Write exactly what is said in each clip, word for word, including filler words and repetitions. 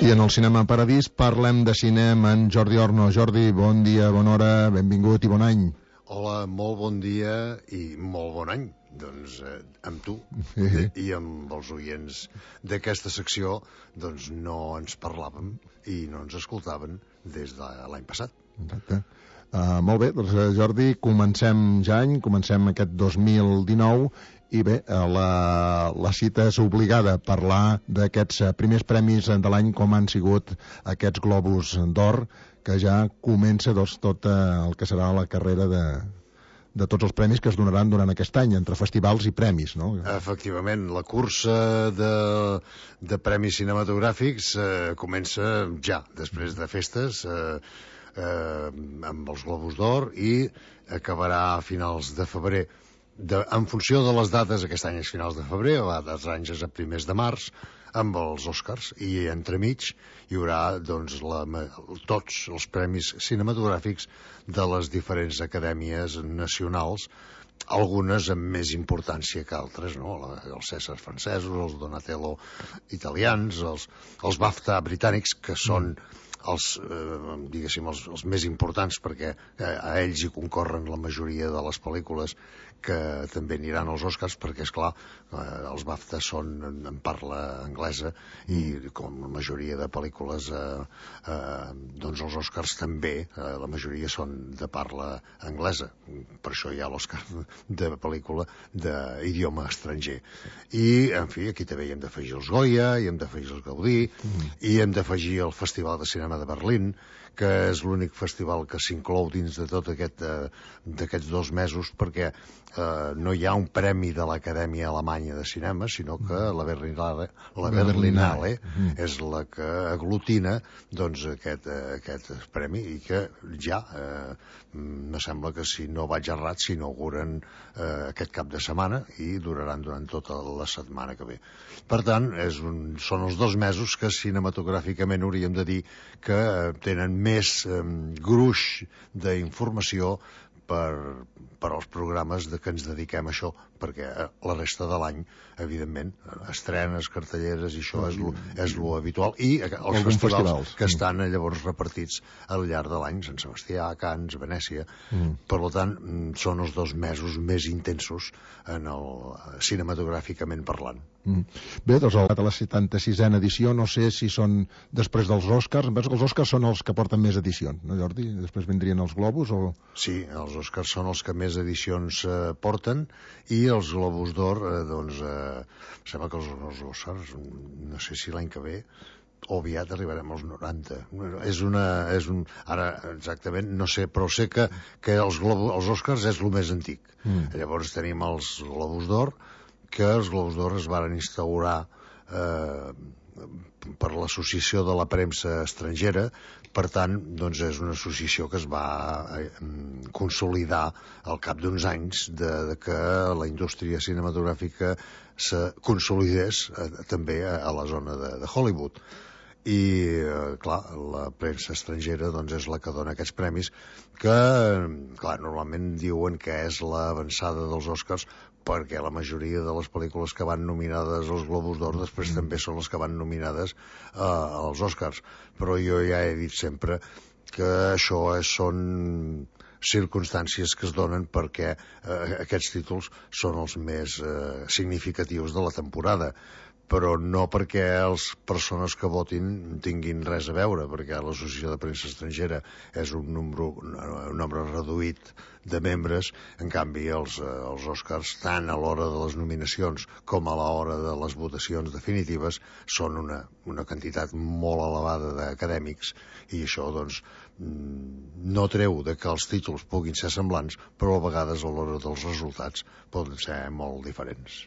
I en el Cinema Paradís parlem de cinema amb Jordi Orno. Jordi, bon dia, bona hora, benvingut i bon any. Hola, molt bon dia i molt bon any. Doncs eh, amb tu Sí. i amb els oients d'aquesta secció doncs no ens parlàvem i no ens escoltaven des de l'any passat. Exacte. Uh, molt bé, doncs Jordi, comencem ja any, comencem aquest dos mil dinou i bé, uh, la, la cita és obligada a parlar d'aquests uh, primers premis de l'any, com han sigut aquests Globus d'Or, que ja comença doncs, tot uh, el que serà la carrera de, de tots els premis que es donaran durant aquest any, entre festivals i premis, no? Efectivament, la cursa de, de premis cinematogràfics eh, comença ja, després de festes, eh, eh, amb els Globus d'Or, i acabarà a finals de febrer. De, en funció de les dates, aquest any és finals de febrer, altres anys és a primers de març, amb els Oscars, i entremig hi haurà doncs, la, tots els premis cinematogràfics de les diferents acadèmies nacionals, algunes amb més importància que altres, no? Els Cèsars francesos, els Donatello italians, els, els BAFTA britànics, que són els, eh, diguéssim, els, els més importants, perquè eh, a ells hi concorren la majoria de les pel·lícules que també aniran als Oscars, perquè, esclar, eh, els BAFTA són en parla anglesa i com la majoria de pel·lícules eh, eh, doncs els Oscars també, eh, la majoria són de parla anglesa, per això hi ha l'Oscar de pel·lícula d'idioma estranger. I, en fi, aquí també hi hem d'afegir els Goya, hi hem d'afegir els Gaudí, mm. i hem d'afegir el Festival de Cinema de Berlín, que és l'únic festival que s'inclou dins de tot aquest eh, d'aquests dos mesos, perquè eh, no hi ha un premi de l'Acadèmia Alemanya de Cinema, sinó que la Berlinale, la Berlinale mm. és la que aglutina doncs, aquest, eh, aquest premi, i que ja eh, me sembla que, si no vaig errat, s'inauguren eh, aquest cap de setmana i duraran durant tota la setmana que ve. Per tant, és un, són els dos mesos que cinematogràficament hauríem de dir que eh, tenen més eh, gruix d'informació per, per als programes de que ens dediquem a això, perquè la resta de l'any, evidentment, estrenes, cartelleres, i això és lo, és lo habitual, i els festivals, festivals que estan llavors repartits al llarg de l'any, Sant Sebastià, Canes, Venècia. Mm. Per tant, són els dos mesos més intensos en el, cinematogràficament parlant. Mm. Bé, doncs a la setanta-sisena edició, no sé si són després dels Oscars. Em penso que els Oscars són els que porten més edicions, no, Jordi? Després vindrien els Globus o...? Sí, els Oscars són els que més edicions eh, porten, i els Globus d'Or, eh, doncs, eh, sembla que els, els Oscars, no sé si l'any que ve o aviat arribarem als noranta. És una, és un, ara exactament no sé, però sé que, que els, Globus, els Oscars és el més antic. Mm. Llavors tenim els Globus d'Or, que els Globus d'Or es van instaurar eh, per l'associació de la premsa estrangera. Per tant, doncs és una associació que es va eh, consolidar al cap d'uns anys de, de que la indústria cinematogràfica se consolidés eh, també a, a la zona de, de Hollywood. I, eh, clar, la premsa estrangera doncs, és la que dona aquests premis, que, clar, normalment diuen que és l'avançada dels Oscars, perquè la majoria de les pel·lícules que van nominades als Globus d'Or després mm. també són les que van nominades eh, als Oscars. Però jo ja he dit sempre que això és, són circumstàncies que es donen perquè eh, aquests títols són els més eh, significatius de la temporada, però no perquè les persones que votin tinguin res a veure, perquè l'Associació de Premsa Estrangera és un nombre, un nombre reduït de membres. En canvi, els, els Oscars, tant a l'hora de les nominacions com a l'hora de les votacions definitives, són una, una quantitat molt elevada d'acadèmics, i això, doncs, no treu de que els títols puguin ser semblants, però a vegades a l'hora dels resultats poden ser molt diferents.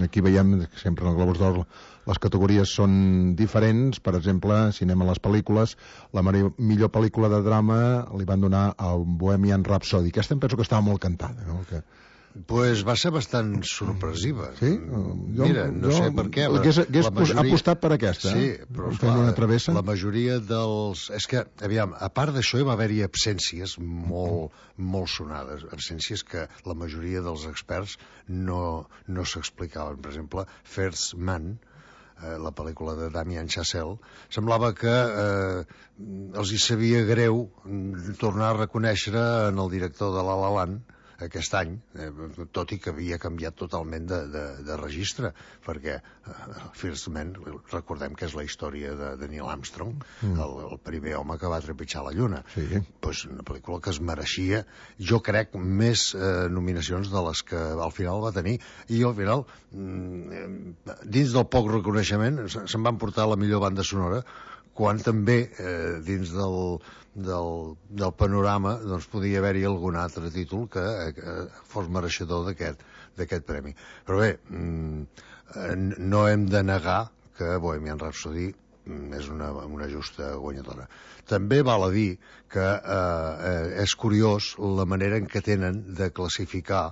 Aquí veiem que sempre en el Globus d'Or les categories són diferents. Per exemple, cinema a les pel·lícules, la millor pel·lícula de drama li van donar a Bohemian Rhapsody. Aquesta em penso que estava molt cantada, no? Que... Pues va ser bastant sorpresiva. Sí? Jo, Mira, no jo, sé per què. La, hagués, hagués la majoria... apostat per aquesta. Sí, eh? però esclar, la majoria dels... És que, aviam, a part d'això hi va haver-hi absències molt, molt sonades. Absències que la majoria dels experts no, no s'explicaven. Per exemple, First Man, eh, la pel·lícula de Damien Chazelle, semblava que eh, els hi sabia greu tornar a reconèixer en el director de La La Land aquest any, eh, tot i que havia canviat totalment de, de, de registre, perquè eh, First Man, recordem que és la història de, de Neil Armstrong, mm. el, el primer home que va trepitjar la Lluna. Sí. Pues una pel·lícula que es mereixia, jo crec, més eh, nominacions de les que al final va tenir, i al final, mm, dins del poc reconeixement, se'n van portar la millor banda sonora, quan també eh, dins del, del, del panorama doncs podia haver-hi algun altre títol que, que fos mereixedor d'aquest d'aquest premi. Però bé, mm, no hem de negar que Bohemian Rhapsody és una, una justa guanyadora. També val a dir que eh, és curiós la manera en què tenen de classificar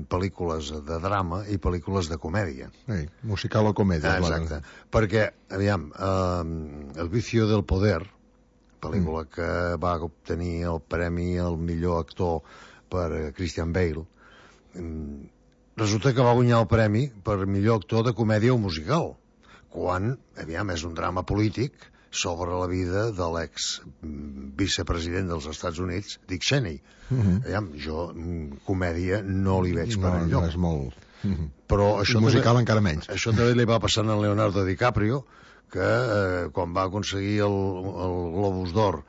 pel·lícules de drama i pel·lícules de comèdia. Sí, musical o comèdia. Ah, exacte. Clar. Perquè, aviam, eh, El vicio del poder, pel·lícula mm. que va obtenir el premi al millor actor per Christian Bale, resulta que va guanyar el premi per millor actor de comèdia o musical, quan, aviam, és un drama polític sobre la vida de l'ex vicepresident dels Estats Units, Dick Cheney. Uh-huh. Aviam, jo comèdia no li veig per no, enlloc. No és molt... Uh-huh. Però això musical també, encara menys. Això també li va passar a Leonardo DiCaprio, que eh, quan va aconseguir el, el Globus d'Or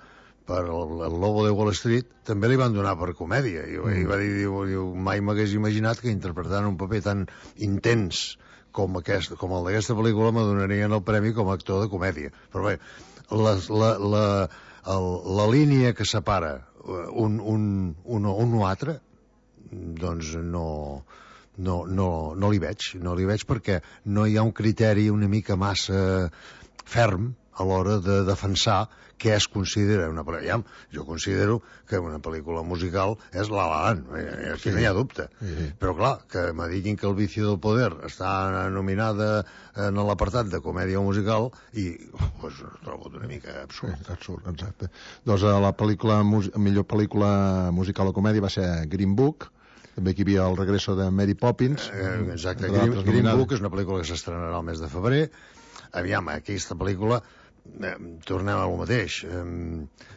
per el, el Lobo de Wall Street, també li van donar per comèdia. I, mm. i va dir, diu, diu, mai m'hagués imaginat que interpretant un paper tan intens com, aquest, com el d'aquesta pel·lícula me donarien el premi com a actor de comèdia. Però bé, la, la, la, el, la línia que separa un, un, un, un o altre, doncs no, no, no, no li veig. No li veig perquè no hi ha un criteri una mica massa ferm a l'hora de defensar què es considera una pel·lícula. Jo considero que una pel·lícula musical és La La Land, aquí sí. No hi ha dubte. Sí. Però clar, que me diguin que El vicio del poder està nominada en l'apartat de comèdia o musical i pues, ho trobo una mica absurd. Sí, absurd, exacte. Doncs la pel·lícula, millor pel·lícula musical o comèdia va ser Green Book, també aquí hi havia El regreso de Mary Poppins. Eh, exacte, Green, Green Book és una pel·lícula que s'estrenarà el mes de febrer. Aviam, aquesta pel·lícula eh, tornem al mateix. Eh,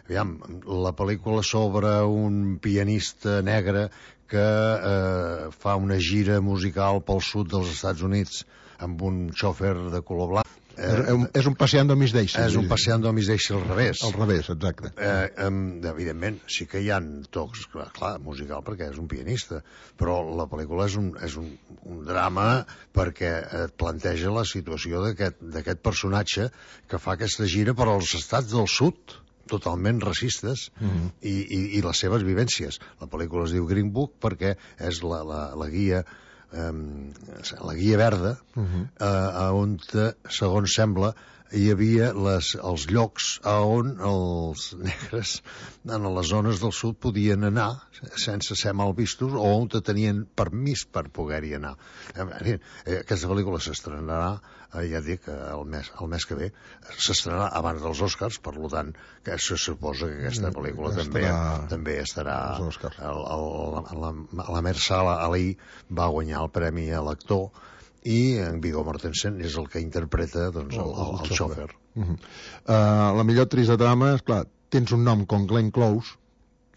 aviam, la pel·lícula sobre un pianista negre que eh, fa una gira musical pel sud dels Estats Units amb un xòfer de color blanc. Eh, és un passeando a Miss Daisy. És un passeando a Miss Daisy al revés. Al revés, exacte. Eh, eh, evidentment, sí que hi ha tocs, clar, clar, musical perquè és un pianista, però la pel·lícula és un, és un, un drama perquè et planteja la situació d'aquest personatge que fa aquesta gira per als estats del sud, totalment racistes, uh-huh. i, i, i les seves vivències. La pel·lícula es diu Green Book perquè és la, la, la guia Um, la guia verda uh-huh. uh, on, segons sembla, hi havia les, els llocs on els negres en les zones del sud podien anar sense ser mal vistos o on tenien permís per poder-hi anar. Aquesta pel·lícula s'estrenarà, ja et dic, el mes, el mes que ve, s'estrenarà abans dels Oscars, per tant, que se suposa que aquesta pel·lícula mm, també, també estarà... El, el, la, la Mahershala Ali va guanyar el premi a l'actor i en Viggo Mortensen és el que interpreta doncs, el, el, el, el xòfer. Uh -huh. uh, la millor actriz de drama, esclar, tens un nom com Glenn Close,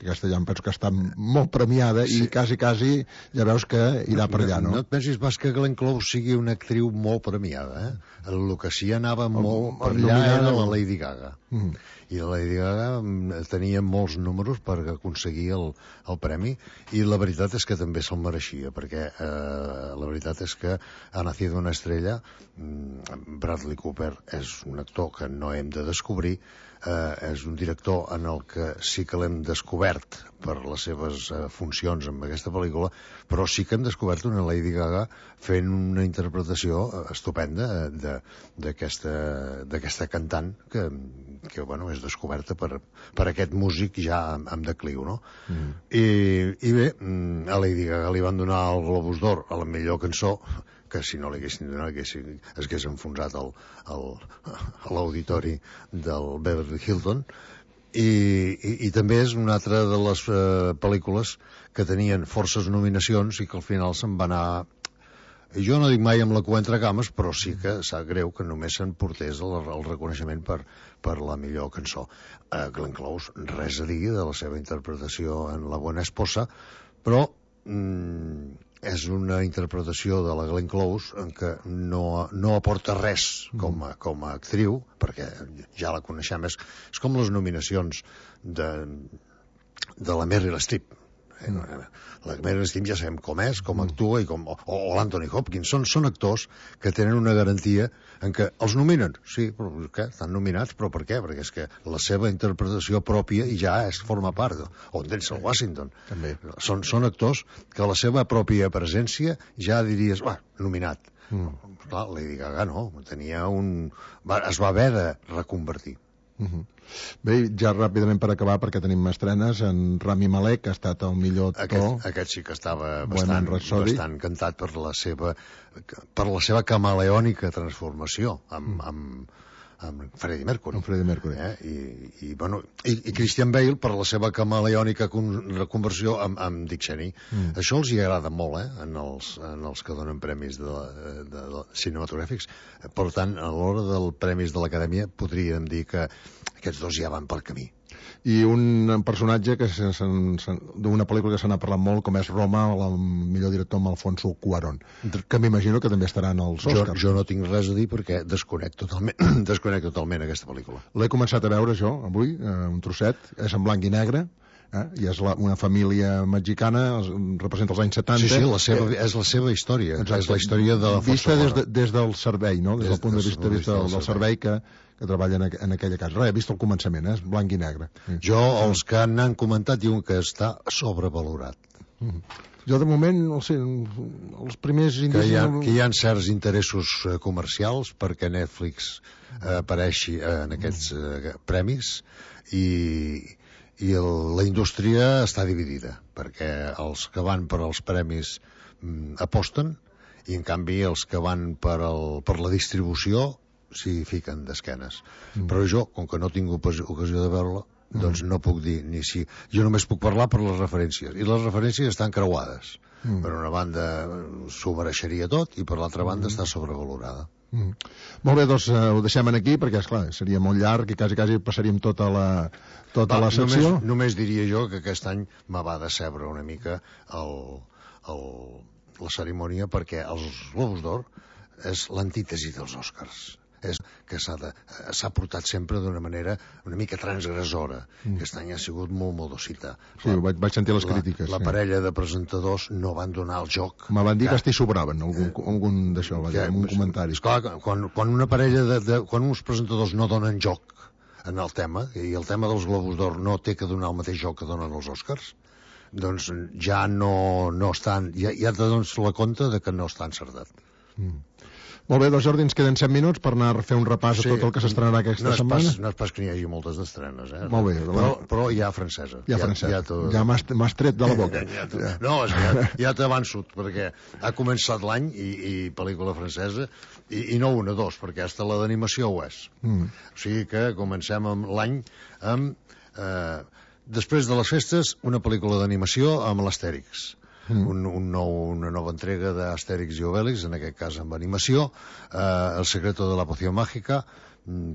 que aquesta ja em penso que està molt premiada, sí. I quasi, quasi ja veus que irà per allà, no? No et pensis pas que Glenn Close sigui una actriu molt premiada, eh? El que sí anava molt per allà era la Lady Gaga. Uh -huh. I la Lady Gaga tenia molts números per aconseguir el, el premi, i la veritat és que també se'l mereixia, perquè eh, la veritat és que Ha nacido una estrella, Bradley Cooper és un actor que no hem de descobrir, eh, és un director en el que sí que l'hem descobert per les seves eh, funcions en aquesta pel·lícula, però sí que hem descobert una Lady Gaga fent una interpretació estupenda d'aquesta cantant que, que bueno, és descoberta per, per aquest músic ja amb decliu, no? Mm. I, I bé, a Lady Gaga li van donar el Globus d'Or a la millor cançó, que si no li haguessin donat es hagués enfonsat a l'auditori del Beverly Hilton. I, i, i també és una altra de les uh, pel·lícules que tenien forces nominacions i que al final se'n va anar Jo no dic mai amb la cua entre cames, però sí que sap greu que només se'n portés el, el reconeixement per, per la millor cançó. Uh, Glenn Close, res a dir de la seva interpretació en La Buena Esposa, però mm, és una interpretació de la Glenn Close en què no, no aporta res com a, com a actriu, perquè ja la coneixem, és, és com les nominacions de, de la Meryl Streep. La Meryl Streep ja sabem com és, com actua, i com, o, o l'Anthony Hopkins. Són, són actors que tenen una garantia en què els nominen. Sí, però què? Estan nominats, però per què? Perquè és que la seva interpretació pròpia ja és, forma part. O Denzel Washington. També. Són, són actors que la seva pròpia presència ja diries, va, nominat. Mm. Clar, Lady Gaga no, tenia un... Va, es va haver de reconvertir. Uh -huh. Bé, ja ràpidament per acabar, perquè tenim estrenes, en Rami Malek ha estat el millor actor. Aquest, aquest sí que estava bastant, bastant cantat per la seva per la seva camaleònica transformació amb, amb, amb Freddie Mercury. Amb Freddie Mercury. Eh? I, i, bueno, i, i Christian Bale per la seva camaleònica reconversió amb, amb Dick Cheney. Mm. Això els hi agrada molt, eh? en, els, en els que donen premis de, de, de, de cinematogràfics. Per tant, a l'hora del premis de l'Acadèmia podríem dir que aquests dos ja van pel camí. I un personatge que d'una pel·lícula que se n'ha parlat molt, com és Roma, el millor director amb Alfonso Cuarón, que m'imagino que també estaran als Oscars. Jo, jo no tinc res a dir perquè desconec totalment, desconec totalment aquesta pel·lícula. L'he començat a veure jo avui, eh, un trosset, és en blanc i negre, eh? I és la, una família mexicana, representa els anys setanta. Sí, sí, la seva, eh, és la seva història. Exacte. És la història de la Vista des, de, des del servei, no? Des, des del punt de vista, de vista del, del servei que, que treballa en, en aquella casa. Res, he vist el començament, eh? És blanc i negre. Jo, els que n'han comentat, diuen que està sobrevalorat. Mm -hmm. Jo, de moment, no sé, els primers indicis... Que hi ha, que hi ha certs interessos comercials perquè Netflix eh, apareixi en aquests eh, premis i... i el, la indústria està dividida, perquè els que van per als premis mm, aposten, i en canvi els que van per, el, per la distribució s'hi fiquen d'esquenes. Mm. Però jo, com que no tinc ocasió de veure-la, mm. doncs no puc dir ni si... Jo només puc parlar per les referències, i les referències estan creuades. Mm. Per una banda s'ho mereixeria tot, i per l'altra banda mm. està sobrevalorada. Mm. Molt bé, doncs uh, ho deixem aquí perquè, esclar, seria molt llarg i quasi, quasi passaríem tota la, tota va, la secció. Només, només diria jo que aquest any me va decebre una mica el, el, la cerimònia, perquè els Globus d'Or és l'antítesi dels Oscars. És que s'ha portat sempre d'una manera una mica transgressora. Mm. Aquest any ha sigut molt modosita. Sí, la, vaig, vaig sentir les la, crítiques. La sí. parella de presentadors no van donar el joc. Me van dir que, que estic sobraven, algun, eh, algun d'això, va dir, algun comentari. Esclar, quan, quan una parella de, de... quan uns presentadors no donen joc en el tema, i el tema dels Globus d'Or no té que donar el mateix joc que donen els Oscars, doncs ja no, no estan... Ja, ja te dones la compte de que no està encertat. Mm. Molt bé, doncs Jordi, ens queden set minuts per anar a fer un repàs sí, a tot el que s'estrenarà aquesta no setmana. Pas, no és pas que n'hi hagi moltes d'estrenes, eh? Molt bé. Però, però hi ha francesa. Hi ha francesa. Ja, ja, ja m'has tret de la boca. ja ja. No, és que ja, ja t'avanço, perquè ha començat l'any i, i pel·lícula francesa, i, i no una, dos, perquè hasta la d'animació ho és. Mm. O sigui que comencem amb l'any amb... Eh, després de les festes, una pel·lícula d'animació amb l'Astèrix. Mm. Un, un nou, una nova entrega d'Astèrix i Obèlix, en aquest cas amb animació, eh, El secreto de la poción mágica,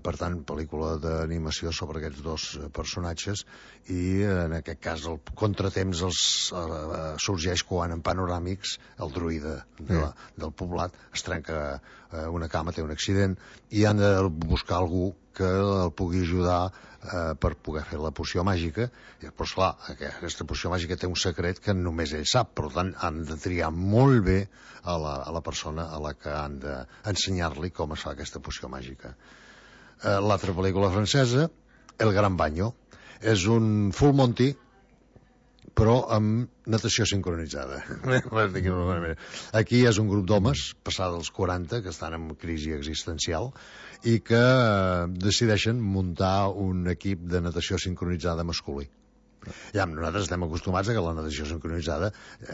per tant, pel·lícula d'animació sobre aquests dos personatges, i en aquest cas el contratemps els, eh, sorgeix quan en panoràmics el druida de la, del poblat es trenca eh, una cama, té un accident, i han de buscar algú que el pugui ajudar eh, per poder fer la poció màgica. I, però esclar, aquesta poció màgica té un secret que només ell sap, per tant han de triar molt bé a la, a la persona a la que han d'ensenyar-li com es fa aquesta poció màgica. Eh, l'altra pel·lícula francesa, El Gran Baño, és un Full Monty però amb natació sincronitzada. Aquí és un grup d'homes, passada dels quaranta, que estan en crisi existencial i que decideixen muntar un equip de natació sincronitzada masculí. Ja, nosaltres estem acostumats a que la natació sincronitzada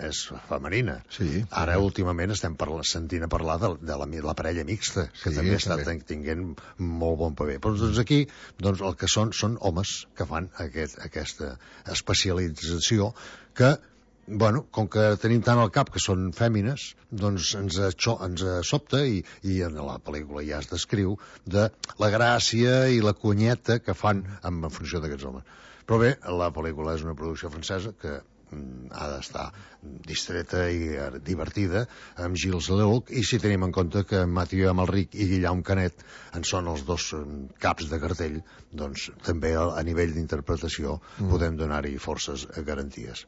és femenina. Sí, ara, últimament, estem parla, sentint a parlar de, de la, la parella mixta, que sí, també està també. tinguent molt bon paper. Però doncs aquí, doncs, el que són són homes que fan aquest, aquesta especialització que bueno, com que tenim tant al cap que són fèmines, doncs ens, això, ens sobta i, i en la pel·lícula ja es descriu de la gràcia i la cunyeta que fan en, en funció d'aquests homes. Però bé, la pel·lícula és una producció francesa que mm, ha d'estar distreta i divertida, amb Gilles Lelouch, i si tenim en compte que Mathieu Amalric i Guillaume Canet en són els dos caps de cartell, doncs també a, a nivell d'interpretació mm. podem donar-hi forces garanties.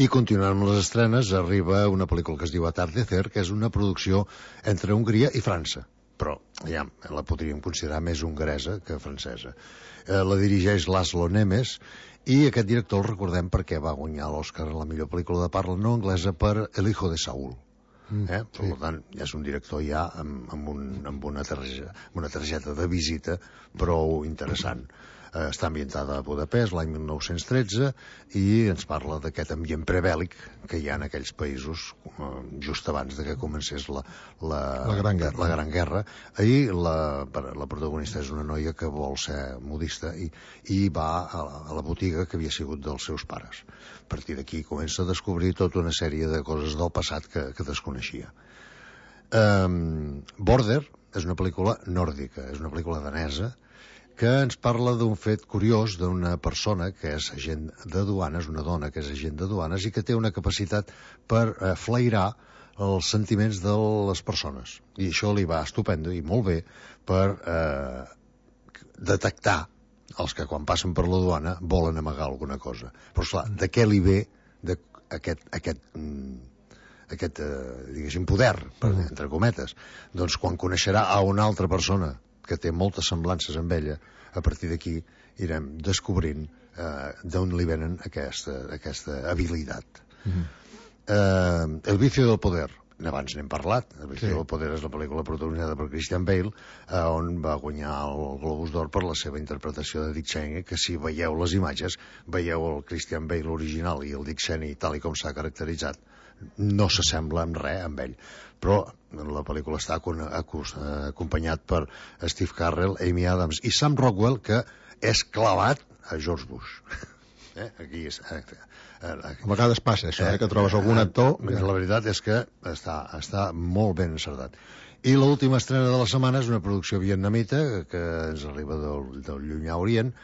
I continuant amb les estrenes, arriba una pel·lícula que es diu Atardecer, que és una producció entre Hongria i França, però ja la podríem considerar més hongaresa que francesa. Eh, la dirigeix Laszlo Nemes, i aquest director el recordem perquè va guanyar l'Oscar a la millor pel·lícula de parla no anglesa per El hijo de Saúl. Mm, eh? Per sí. tant, ja és un director ja amb, amb, un, amb, una targeta, amb una targeta de visita prou interessant. Eh, està ambientada a Budapest l'any mil nou-cents tretze i ens parla d'aquest ambient prebèl·lic que hi ha en aquells països eh, just abans de que comencés la, la, la, gran, guerra. la gran guerra. Ahir la, la protagonista és una noia que vol ser modista i, i va a, a la botiga que havia sigut dels seus pares. A partir d'aquí comença a descobrir tota una sèrie de coses del passat que, que desconeixia. Um, Border és una pel·lícula nòrdica, és una pel·lícula danesa que ens parla d'un fet curiós d'una persona que és agent de duanes, una dona que és agent de duanes i que té una capacitat per eh, flairar els sentiments de les persones. I això li va estupendo i molt bé per eh, detectar els que quan passen per la duana volen amagar alguna cosa. Però esclar, de què li ve de aquest, aquest, aquest eh, diguéssim, poder, per, entre cometes? Doncs quan coneixerà a una altra persona que té moltes semblances amb ella, a partir d'aquí irem descobrint eh, d'on li venen aquesta, aquesta habilitat. Mm-hmm. eh, El vicio del poder, abans n'hem parlat, El vicio sí. del poder és la pel·lícula protagonitzada per Christian Bale, eh, on va guanyar el Globus d'Or per la seva interpretació de Dick Cheney, que si veieu les imatges, veieu el Christian Bale original i el Dick Cheney tal i com s'ha caracteritzat, no s'assembla en res amb ell, però la pel·lícula està acompanyat per Steve Carell, Amy Adams i Sam Rockwell, que és clavat a George Bush. Eh? Aquí és... Eh, eh, a vegades passa això, eh, que trobes algun actor... Eh, la veritat és que està, està molt ben encertat. I l'última estrena de la setmana és una producció vietnamita que ens arriba del, del Llunyà Orient,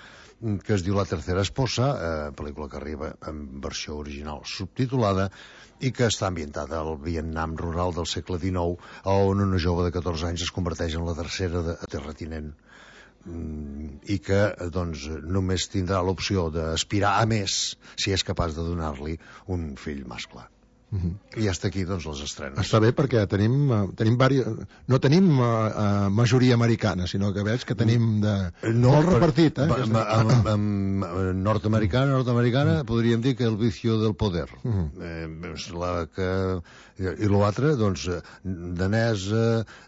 que es diu La tercera esposa, eh, pel·lícula que arriba en versió original subtitulada i que està ambientada al Vietnam rural del segle dinou, on una jove de catorze anys es converteix en la tercera de terratinent i que doncs, només tindrà l'opció d'aspirar a més si és capaç de donar-li un fill mascle. Uh-huh. I ja està aquí, doncs, les estrenes. Està bé perquè tenim, uh, tenim vari... no tenim uh, uh, majoria americana, sinó que veig que tenim de... no, molt repartit, eh? Amb, amb, amb nord-americana, nord-americana, uh-huh. podríem dir que el vicio del poder. Uh-huh. Eh, la que... I l'altre, doncs, danesa,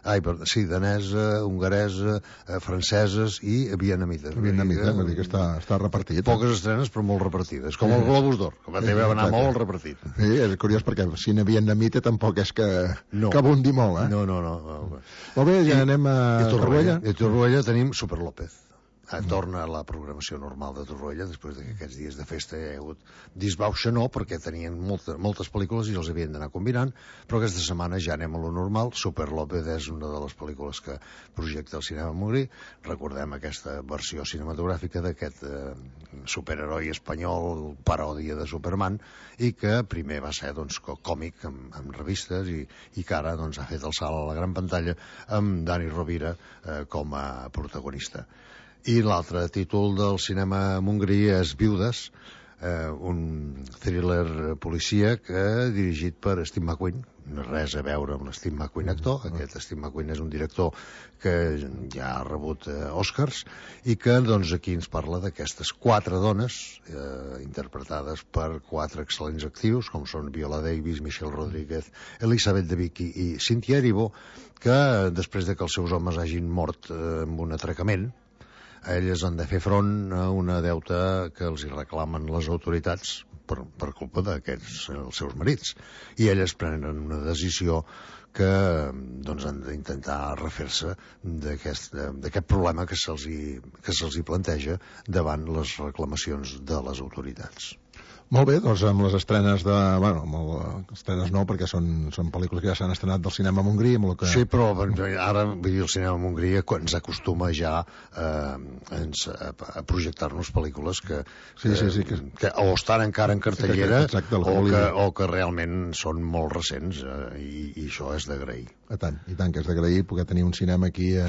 ai, perdó, sí, danesa, hongaresa, eh, franceses i vietnamita. Vietnamita, vull dir que està, està repartit. Poques estrenes, però molt repartides, com el Globus d'Or, que va també va anar molt repartit. Sí, és curiós perquè el cine vietnamita tampoc és que, no. que abundi molt, eh? No, no, no. no. Molt bé, ja I, anem a Torroella. I a Torroella tenim Super López. Torna a la programació normal de Torroella després que aquests dies de festa hi ha hagut disbauxa, no, perquè tenien molta, moltes pel·lícules i els havien d'anar combinant, però aquesta setmana ja anem a lo normal. Super López és una de les pel·lícules que projecta el cinema Mogri. Recordem aquesta versió cinematogràfica d'aquest eh, superheroi espanyol, paròdia de Superman, i que primer va ser doncs, còmic amb, amb revistes i, i que ara doncs, ha fet el salt a la gran pantalla amb Dani Rovira eh, com a protagonista. I l'altre títol del cinema mongrí és Viudes, eh, un thriller policíac eh, dirigit per Steve McQueen. No res a veure amb l'Steve McQueen actor. Aquest Steve McQueen és un director que ja ha rebut eh, Oscars i que doncs, aquí ens parla d'aquestes quatre dones eh, interpretades per quatre excel·lents actius, com són Viola Davis, Michelle Rodríguez, Elisabeth Debicki i Cynthia Erivo, que després de que els seus homes hagin mort eh, amb un atracament, elles han de fer front a una deuta que els hi reclamen les autoritats per, per culpa d'aquests els seus marits. I elles prenen una decisió que doncs, han d'intentar refer-se d'aquest problema que se'ls hi, que se'ls hi planteja davant les reclamacions de les autoritats. Molt bé, doncs amb les estrenes de... Bueno, amb el, estrenes no, perquè són, són pel·lícules que ja s'han estrenat del cinema a Montgrí, amb el que... Sí, però ara, vull dir, el cinema a Montgrí ens acostuma ja eh, ens, a, a projectar-nos pel·lícules que, sí, sí, sí, que... que o estan encara en cartellera sí, exacte, o, que, o que realment són molt recents, eh, i, i això és d'agrair. A tant, i tant, que és d'agrair poder tenir un cinema aquí a,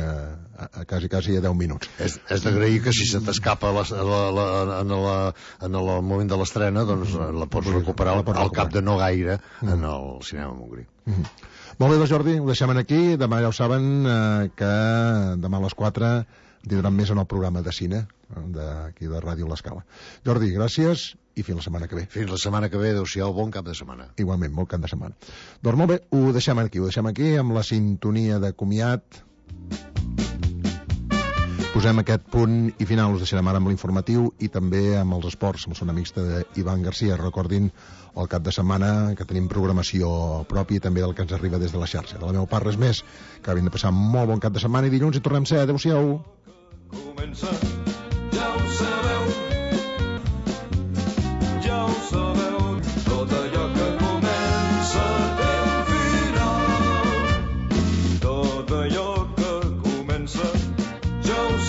a, a quasi, quasi a deu minuts. És, és d'agrair que si se t'escapa la, la, la, en, la, en el moment de l'estrena, doncs la pots recuperar al, al cap de no gaire en el cinema Montgrí. Mm -hmm. Molt bé, doncs Jordi, ho deixem aquí. Demà ja ho saben eh, que demà a les quatre tindran més en el programa de cine d'aquí de Ràdio L'Escala. Jordi, gràcies i fins la setmana que ve. Fins la setmana que ve, adéu-siau, bon cap de setmana. Igualment, bon cap de setmana. Doncs molt bé, ho deixem aquí, ho deixem aquí amb la sintonia de comiat. Posem aquest punt i final. Us deixarem ara amb l'informatiu i també amb els esports, amb el son amics d'Ivan Garcia. Recordin el cap de setmana que tenim programació pròpia i també del que ens arriba des de la xarxa. De la meva part, res més. Que acabin de passar molt bon cap de setmana i dilluns hi tornem a ser. Adéu-siau. Comença, ja ho sé.